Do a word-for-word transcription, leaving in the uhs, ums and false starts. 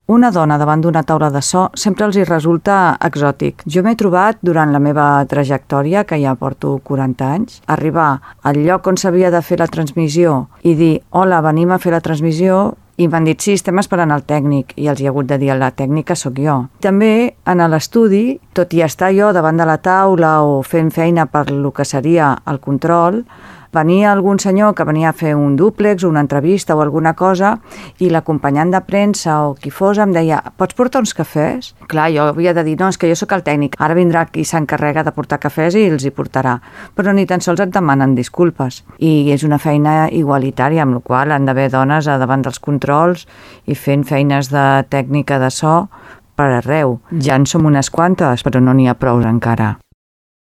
una dona davant d'una taula de so sempre els hi resulta exòtic. Jo m'he trobat durant la meva trajectòria, que ja porto quaranta anys, arribar al lloc on s'havia de fer la transmissió i dir, hola, venim a fer la transmissió, i m'han dit, sí, estem esperant el tècnic, i els hi ha hagut de dir, la tècnica sóc jo. També, en l'estudi, tot i estar jo davant de la taula o fent feina per lo que seria el control, venia algun senyor que venia a fer un dúplex o una entrevista o alguna cosa i l'acompanyant de premsa o qui fos em deia, pots portar uns cafès? Clar, jo havia de dir, no, és que jo sóc el tècnic, ara vindrà qui s'encarrega de portar cafès i els hi portarà, però ni tan sols et demanen disculpes. I és una feina igualitària, amb la qual han d'haver dones davant dels controls i fent feines de tècnica de so per arreu. Ja en som unes quantes, però no n'hi ha prou encara.